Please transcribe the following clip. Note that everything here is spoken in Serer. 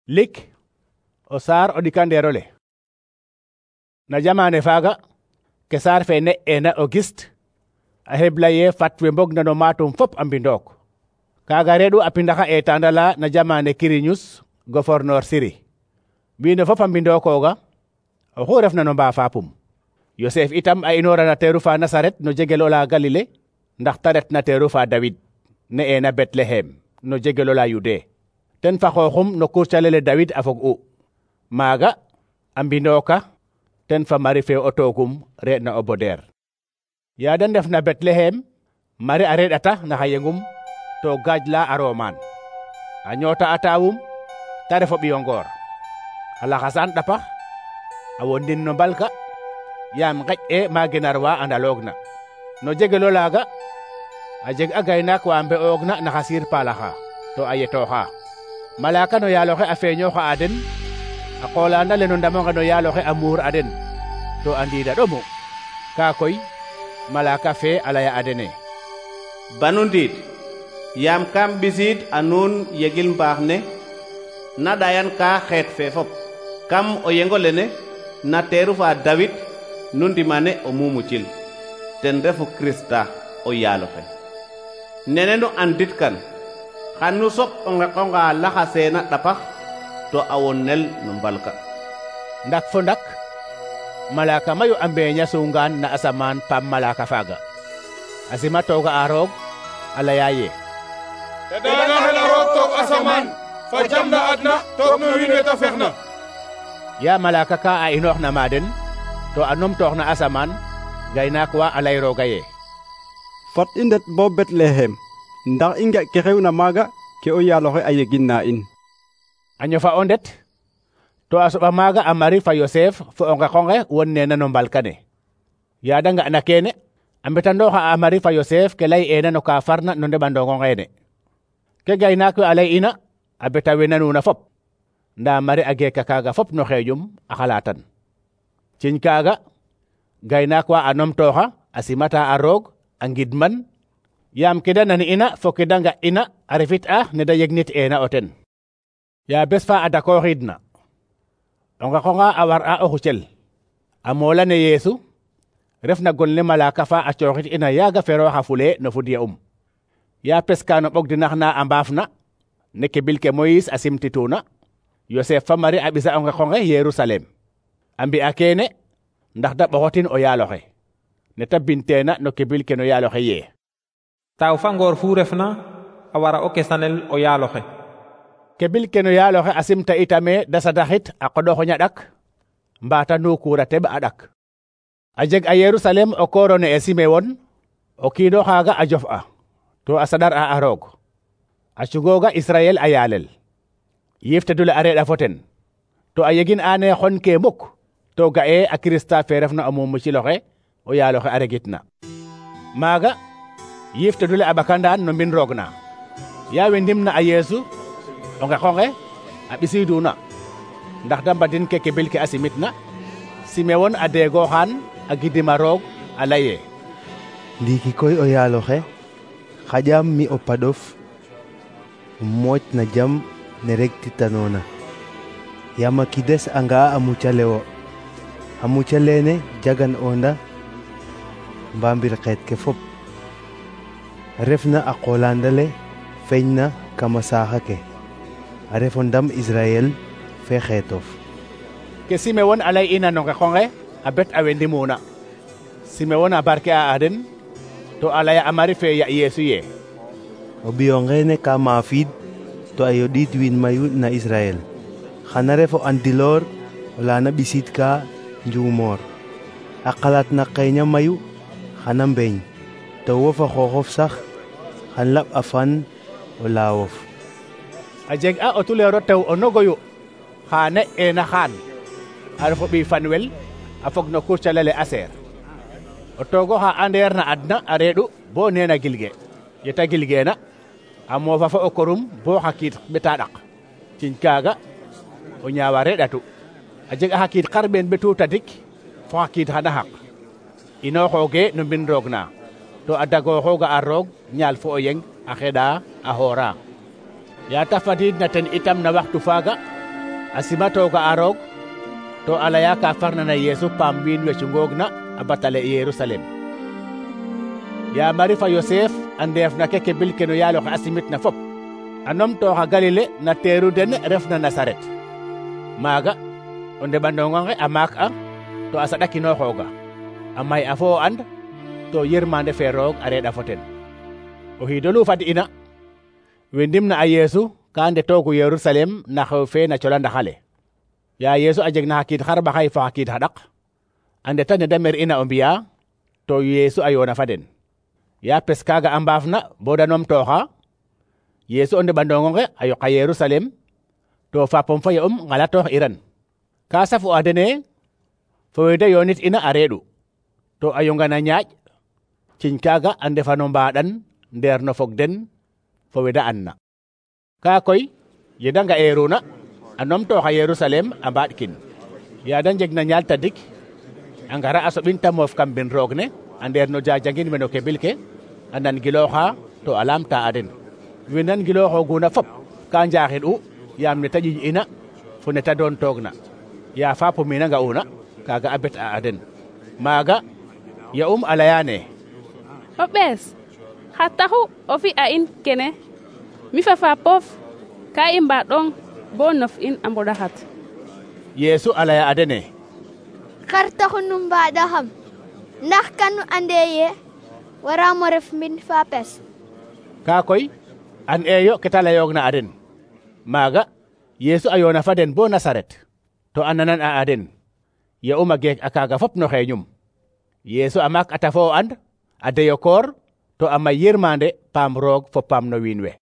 lik o saar o ɗikandeerole. Na jamane faaga ke saar fe ne'eena Auguste a heblaye fat we mbogna no maatum fop a mbindook. Kaaga reeɗu a pindaxa eetaandala na jamane Quirinius gouverneur Syrie. Wiin we fop a mbindokooga oxu refna no mbaafapum. Yosef itam a inoora na teeru fa Nasaret no jegel ola Galile ndax ta ret na teeru fa David ne'eena Betlehem no jegel ola Yude. Ten fa xooxum no kurcalele David a fog'u. Maaga a mbindooka ten fa Mari fe o toogum re'na o bodeer. Ya de ndef na Betlehem, Mari a reɗata na xa yengum to gaaj la a roomaan. A ñoota a taawum ta ref o ɓiyo ngoor. A laxasaan ɗapax a wondin no mbalka yaam ngeƴ ma genar wa a ndaloogna. No jegel olaaga a jeg a gaynaak wa mbe'oogna na xa siir paalaxa to a yetooxa. Malaaka no yaal oxe a feeñooxa a den, a qoolaand ale no ndam onge no yaal oxe a muur a den to a ndiida ɗomu. Kaa koy malaaka fe a laya a dene: banu ndiid, yaam kam ɓisiid a nuun yegil mbaax ne na ɗayan ka xeet fe fop. Kam o yengo lene na teeru fa David nu ndimane o mumucil, ten refu Krista o yaal oxe. Nene nu andit kan xan nu soɓ o ngeqonga laxaseena ɗapax to a wonnel no mbalka. Ndak fo ndak malaaka mayu a mbeeña sungaan na asamaan paam malaaka faaga. A sima tooga a roog a laya ye: teɗaanga xena roog toog asamaan fa jam na adna toog no wiin we ta fexna. Ya malaaka ka a inoox na ma den to a numtoox na asamaan, gaynaak wa a lay rooga ye: fat i ndet bo Betlehem ndax i nga ke xewna maaga ke o yaal oxe a yegin na in. A ñofa o ndet to a soɓa maaga a Mari fa Yosef fo o ngeqonge won neena no mbalka ne. Ya de nga'na keene a mbetandooxa a Mari fa Yosef ke lay'eena no ka farna no ndeɓandong ongeene. Ke gaynaak we a lay'ina a beta we nanuuna fop, ndaa Mari a geeka kaaga fop no xeeƴum a xalaatan. Ciñ kaaga gaynaak wa a numtooxa a simata a roog a ngidman, yaam ke da nan'ina fo ke da nga'ina a refit'a ne da yegnit'eena o ten. Ya bes fa a dakooxiidna, o ngeqonga a war'a o xucel a moolane Yeesu refna gonle malaaka fa a cooxit ina yaaga ferooxa fule no fudya Ya peska no ɓogdinax na a mbaafna ne ke bil ke Moyis a simtituna, Yosef fa Mari a ɓisa o ngeqonge Yerusalem. A mbi'a keene ndax da ɓoxotin o yaal oxe ne ta binteena no ke bil ke no yaal oxe yee: taaw fa ngoor fu refna a wara o kesanel o yaal oxe. Ke bil ke no yaal oxe a simta itame da sadaxit a qoɗox ñaɗak mbaata nukuura teɓ a ɗak. A jeg a Yerusalem o kooro ne e Simewon, o kiino xaaga a jof'a to a saɗar'a a roog. A cugooga Israyel a yaalel. Yiif tedule a reɗa fo ten to a yegin aane xon ke muk to ga'e a Kirista fe refna o mumucil oxe o yaal oxe a regitna. Maaga yiif tedule a ɓakandaan no mbin roog na. Ya we ndimna a Yeesu o ngeqonge a ɓisiiduna ndax da mbadin ke bil ke a simitna, Simewon a deegooxaan a gidima roog a laye: ndiiki koy o yaal oxe xaƴaam mi o paɗof mooc na jam ne regtitanoona, yaam a kides a nga'a a mucale wo. A muca leene jagan onda mbambir xeet ke fop, refna a qoolaandale feñna kama saaxa ke, a refo ndam Israyel fe xeetof. Ke Simewon a lay'ina no ngeqonge a bet a we ndimuna. Simewon a barke'a a den to a laya a Mari fe ya Yeesu ye: o ɓiyo ngeene ka maafiid to a yoɗiid wiin mayu na Israyel. Xana ref o andiloor ola na ɓisiid ka njuumoor. A qalaat na qeeña mayu xana mbeeñ, to wo fa xooxof sax xan laɓ a fan o laawof. A jeg a o tuleero tew o nogoyu xa ne'eena xaan, a ref o ɓiy Fanwel a fog no kurcalele Aser. O toogo xa andeer na adna a reeɗu bo neena gilge. Yeta gilgeena a moofa fo o korum bo xa kiit ɓeta ɗak. Ciñ kaaga o ñaawa reɗatu. A jeg a xa kiit xarɓeen ɓetu tadik fo xa kiit xana xaq. Inooxooge no mbin roog na to a dagooxooga a roog ñaal fo o yeng a xeɗa a xoora. Ya ta fadiidna ten itam na waxtu faaga a simatoga a roog to a leya ka farna na Yeesu paam wiin we cungoogna a batale Yerusalem. Ya Mari fa Yosef a ndeefna keke bil ke no yaaloxe a simitna fop a numtooxa Galile na teeru den refna Nasaret. Maaga o ndeɓandonga nge a maak a to a saɗakinooxooga a may a fo o and to yirmande fe roog a reɗa fo ten. O xiidolu fad'ina we ndimna a Yeesu ka ndetoogu Yerusalem na xew fe na colandaxale. Ya Yeesu a jeg na xa kiid xarɓaxay fa xa kiid xaɗaq a ndeta ne da mer'ina o mbiya to Yeesu a yoona fa den. Ya pes kaaga a mbaafna bo da numtooxa Yeesu o ndeɓandongo nge a yoqa Yerusalem to fapom fa ye'um ngalatoox iran. Ka safu a dene fo we da yoonit ina a reeɗu to a yongana ñaaƴ ciñ kaaga a ndefa no mbaɗan ndeer no fog den fo we da anna. Ka koy ye da nga'eeruna a numtooxa Yerusalem a mbaɗkin. Ya da njegna ñaal tadik a ngara a soɓin ta moof kam mbin roog ne a ndeer no jajangin we no kebil ke a nan gilooxa to a laamta a den. We nan gilooxooguna fop ka njaaxin'u yaam ne ta ƴiƴ'ina fo ne ta doon toogna. Ya Fapumina nga'una kaaga a bet'a a den. Maaga ya'um a layaane: o ɓees xa taxu o fi'a in kene mi fa Fapof ka i mbaɗong bo nof in a mboɗaxat. Yeesu a laya a dene: xar taxu nu mbaɗaxam ndax kanu ande ye waramo ref mbin Fapes. Ka koy an eyo ke ta layoogna a den. Maaga Yeesu a yoona fa den bo Nasaret to a nanan a den. Ya'um a geek a kaaga fop no xeeñum. Yeesu a maak ata fo o and a deyo koor to a may yirmande paam roog fo paam no wiin we.